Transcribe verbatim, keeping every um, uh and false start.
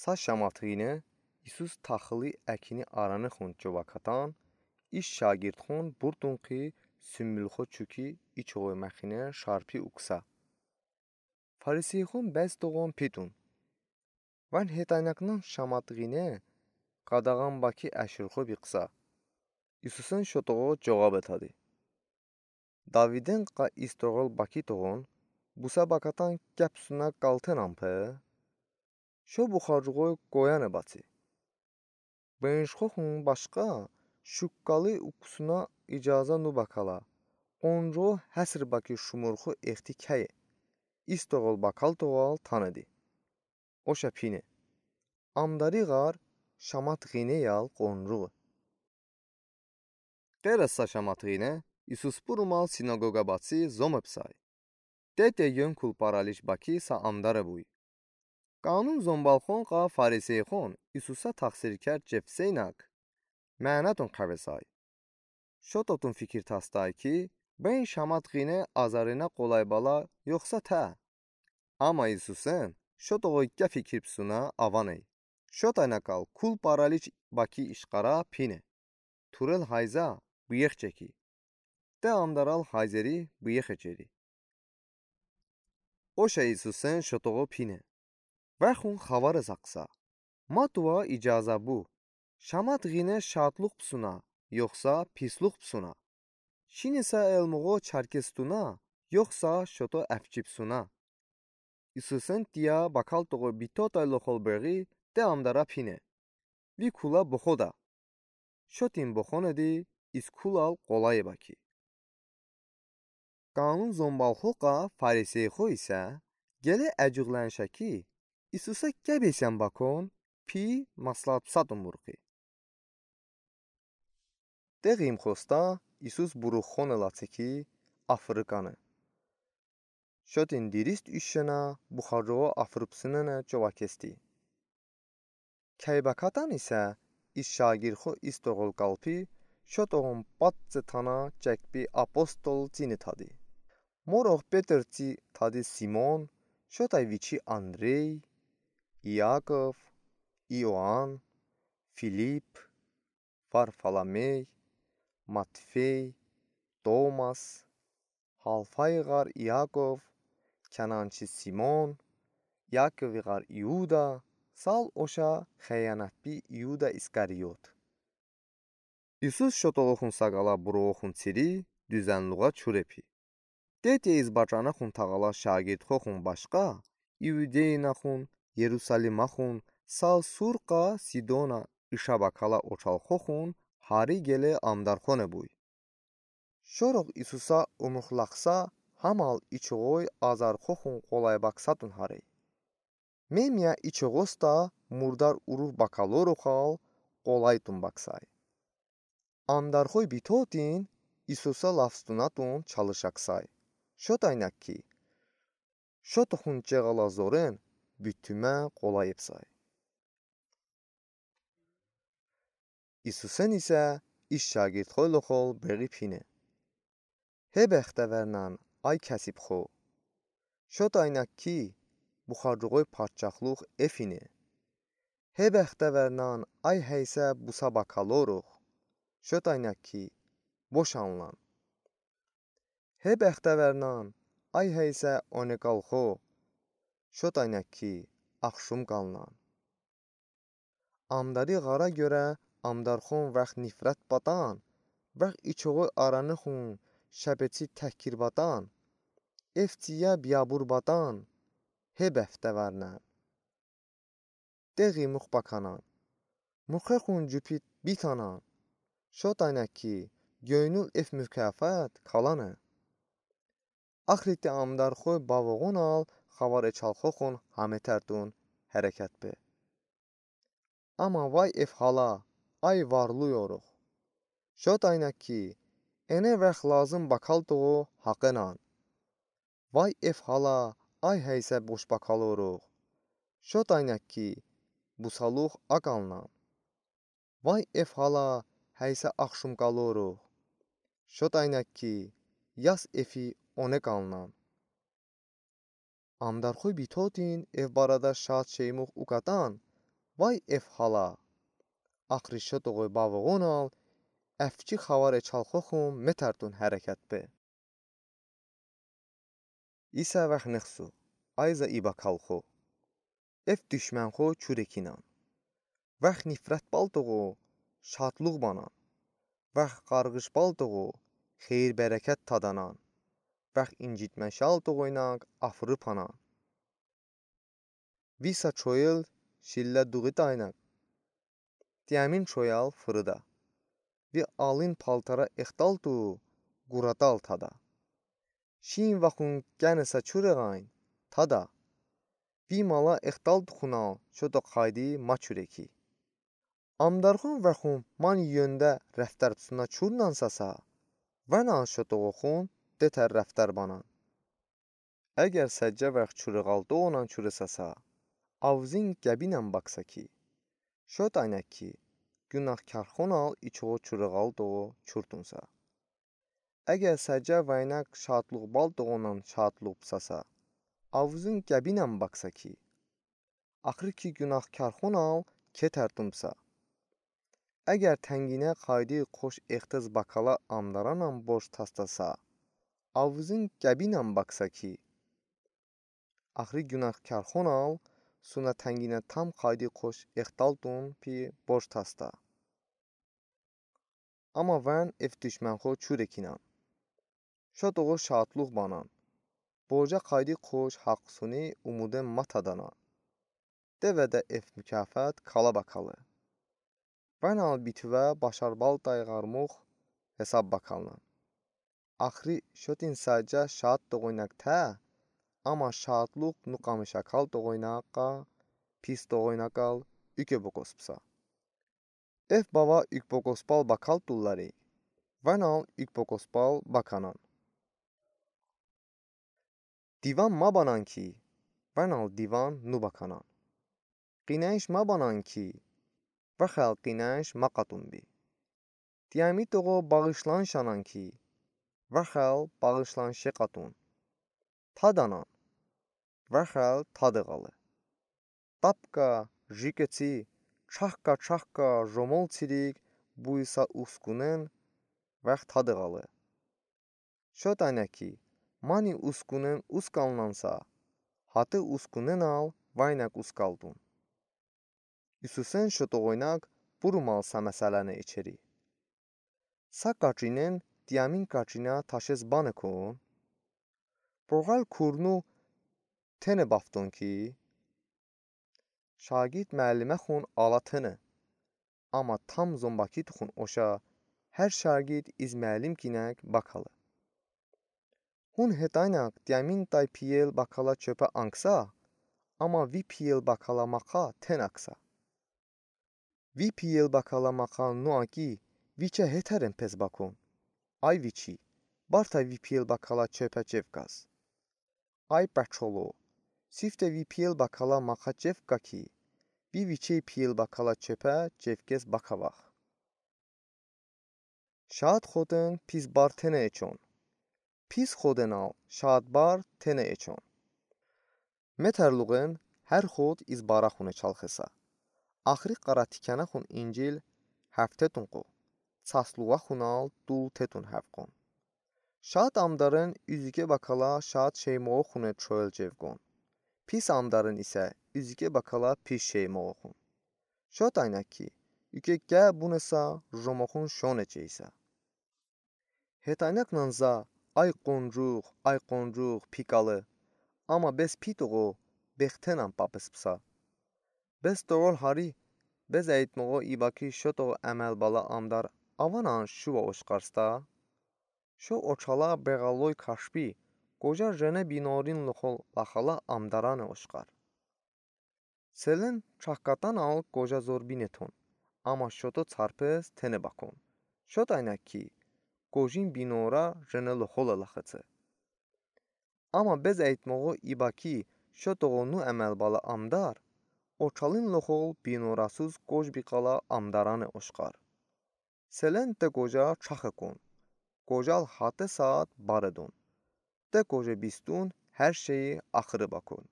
Sa şamətqine İsus taxılı əkini aranıxon covə katən, iş şagirdxon burtunki sümbülxo çuki içoy məxine şarpi uksə. Fariseyxon bəzıtoğon pitun: Vən hetəynəknən şamətqine qadağan bəki əşırxo biqısə? İsusən şotoğo coğab etədi: Daviden qa istoğol bəkitoğon busə bəkatən qəp sunə qaltenən pe? Şo buxarcığoy qoyane bəçi. Bınşxoxon başqa şuqqalı ukusına icazə nubəkələ, qoncuğo həsr bəki şumurxo exti kəye, istoğol bəkaltoğal tanedi. Oşə pine: Amdari ğar şamətqine yal qoncuğe. Qerəsə şamətqine İsus burumal sinagoqə bəçi zomepsəy. Tete yön kul paraliç bəki sa amdare buy. Qanun zombalxon qa fariseyxon İsusə təxsirkər cevseynək, mənətun kəvesəy. Şototun fikir tastəy ki, bən şamətqine azərinə qolay bəla yoxsa tə? Amma İsusən şotoğoy qə fikir psunə əvəney. Şotəynəkəl kul paraliç bəki işqarə pine: Turel hayzə, bıyex çeki. De amdaral hayzeri bıyex çeri. Oşə İsusən şotoğo pine: Vəxun xəvare səqısə. Mə tovə icazə bu: şamətqine şadlıq psunə, yoxsa pislıq psunə? Şinisə elmoğo çərkestunə, yoxsa şoto əfçipsunə? İsusən diyə bəkaltoğo bito tayloxol bıri de amdarə pine: Vi kulə boxodə. Şotin boxonedi, iz kulal qolaye bəki. Qanun zombalxo qa fariseyxo isə qılə əcığlənşə ki, İsusə qə besən bəkon pi məsləhət psətun burxi. De ğimxosta İsus buruxone ləçe ki, afırıkane. Şotin dirist üşşenə buxarcıqo afırıpsınene covə kesti. Kəy bəkətən isə iz şagirdxo istoğol qalpi şotoğon patse tənə çəkbi apostol cini tədi. Morox Petr cı tədi Simon, şotəy viçi Andrey, İakov, İoan, Filip, Varfolomey, Matfey, Tomas, Halfay ğar İakov, Kənançı Simon, İakovi ğar İuda, sal oşə xıyanətbi İuda İskariot. İsus şotoğoxon səqalə buruoxon çiri düzənluğə çure pi. Tete iz bəçənəxon təğalə şagirdxoxon başqa, İudeynəxon, Yerusaliməxon, sal Sur qa Sidonə ışə bəkələ oçalxoxon hari qılə amdarxone buy. Şorox İsusə umıxləxsə, həmal içoy azarxoxon qolay bəksətun harey. Memiyə içoğosta murdar uruv bəkəloroxal qolaytun bəksəy. Amdarxoy bitotin İsusə ləfsunətun çalışəksəy. Şotəynək ki, şotoxon çeğələ zoren bitümə qolay epsəy. İsusən isə iz şagirdxoyloxol bıri pine. He bəxtəvərnən, ay kəsibxo! Şotəynək ki, buxarcıqoy padşaxlıq efine. He bəxtəvərnən, ay heysə busə bəkəlorox! Şotəynək ki, boşanılən. He bəxtəvərnən, ay heysə oneqalxo! Şotəynək ki, axşım qalınən. Amdari ğara görə amdarxon vəx nifrət bətən, vəx içoğoy aranıxon şəpeçi təhqir bətən, eftiyə biyabur bətən, he bəxtəvərnən. De ğimux bəkənən, mıxəxon cupit bitənən, şotəynək ki, göynül ef mukafat kalane. Axırıte amdarxoy bavoğonal xəvare çalxoxon həmə tərtun hərəkət be. Amma vay ef hala, ay varlıyorox! Şotəynək ki, ene vəx lazım bəkəltoğo haqenən. Vay ef hala, ay heysə boş bəkəlorox! Şotəynək ki, busalıq əqalnən. Vay ef hala, heysə axşım qalorox! Şotəynək ki, yas efi oneqalnən. Amdarxoy bitotin ev barədə şad şeymux ukətən, Vay ev hala! Axırı şotoğu bavığonal, əfçi xavare çalxoxum metardun hərəkət be. İsə vəx nıxsu, ayza iba kalxo. Ev duşmənxo çurekinan. Vəx nifrət baltoğu şadlıq banan. Vəx qarğış baltoğu xeyir-bərəkət tadanan. Vəx incitmə şaltoğu inaq afırı panan. Visa çoyıl şillə dığı daynaq. Diəmin çoyal fırıda. Vi alın paltara extaltu quradal tada. Şin vaxun qənəsə çurəğayn tada. Vi mala extaltuxunal şoto qaydı maçureki. Amdarxun vaxun mani yöndə rəftər suna çurnansasa, vənal şotoğoxun detər rəftər banan. Əgər səccə vəx çurığaltoğunan çurısasa, avzın qəbinən baksa ki, şot aynək ki, günahkarxonal içoğu çurığaltoğu çurtunsa. Əgər səccə vəynək şadlıq baltoğunan şadlıqsasa, avzın qəbinən baksa ki, axır ki günahkarxonal ketərtunsa. Əgər tənginə qaydı qoş extız bakala amdaranan borc tastasa, avzın qəbinən baksa ki, axırı günahkarxonal suna tənginə tam qaydı qoş extaltun pi borc tasta. Amma vən ev duşmənxo çurekinan. Şotoğu şadlıq banan. Borca qaydı qoş haqq suni umudən matadanan. Devədə ev mükafat kala bakalı. Vənal bitüvə başarbaltay ğarmux hesab bakalnan. Axırı şotin səccə şaat toğoynaq tə, amma şaatlıq nuqamış akal toğoynaqqa, pis toğoynaqal üke bokospsa. Ev bava ük bokospal bakal tullari, vənal ük bokospal bakanan. Divan mabanan ki, vənal divan nubakanan. Qinəş mabanan ki, vəxəl qinəş maqatun bi. Tiəmitoğo bağışlan şanan ki, vəxəl bağışlan şeqatun. Tadanan, vəxəl tadı ğalı. Tapka, jiketsi, çaxka-çaxka jomol tsirik buysa uskunen, vəx tadı ğalı. Şot aynə ki, mani uskunen uskalnansa, hatı uskunenal vəynək uskaltun. Üsusen şot oynaq burumal sa məsələni içeri. Sa kaçinen tiəmin kaçinə taşes banekon. Boğal kurnu tene bafton ki, şagird məliməxon ala tene. Amma tam zombaki tuxun oşə, hər şagird iz məlim kinək bakalı. Hun hetaynak tiəmin tay piyel bakala çöpə anksa, amma vi piyel bakala maqa ten aksa. Vi piyel bakala maqa nu aki, viçə hetəren pes bakon. Ay viçi, bartay vi piyel bakala çöpə çevkaz. Ay bəçolo, siftə vi piyel bakala maqa çevka ki, vi viçəy piyel bakala çöpə çevkez bakavax. Şaat xoten pis bar tene eçon. Pis xotenal şaat bar tene eçon. Metərluğen hər xot iz baraxune çalxısa. Axırı qara tikənəxun incil həftetunqo. Çasluğaxunal dul tetun həvqon. Şaat amdaren üzüke bakala şaat şeymoğoxune çoyel çevqon. Pis amdaren isə üzüke bakala pis şeymoğoxun. Şot aynak ki, üke qə bunesa jomoxun şon eçeysə. Hetaynak nanza, ay qoncuq, ay qoncuq, pikalı. Amma bez pitoğo, bextenan papıspsa. Bez toğol hari, bez əytmoğo ibaki şotoğo əməl bala amdar avanan şuva oşqarsta. Şo oçala beğaloy kaşbi, qoca jene binorin loxol laxala amdarane oşqar. Selen çaxkatanal qoca zor bineton, amma şoto çarpes tene bakon. Şot aynak ki, qocin binora jene loxole laxıtse. Amma bez əytmoğo ibaki şotoğo nu əməl bala amdar, oçalin loxol binorasuz qoc biqala amdarane oşqar. Selen te qoca çax ekon. Qocal hate saat bar edon. Te qoce bistun hər şeyi axırı bakon.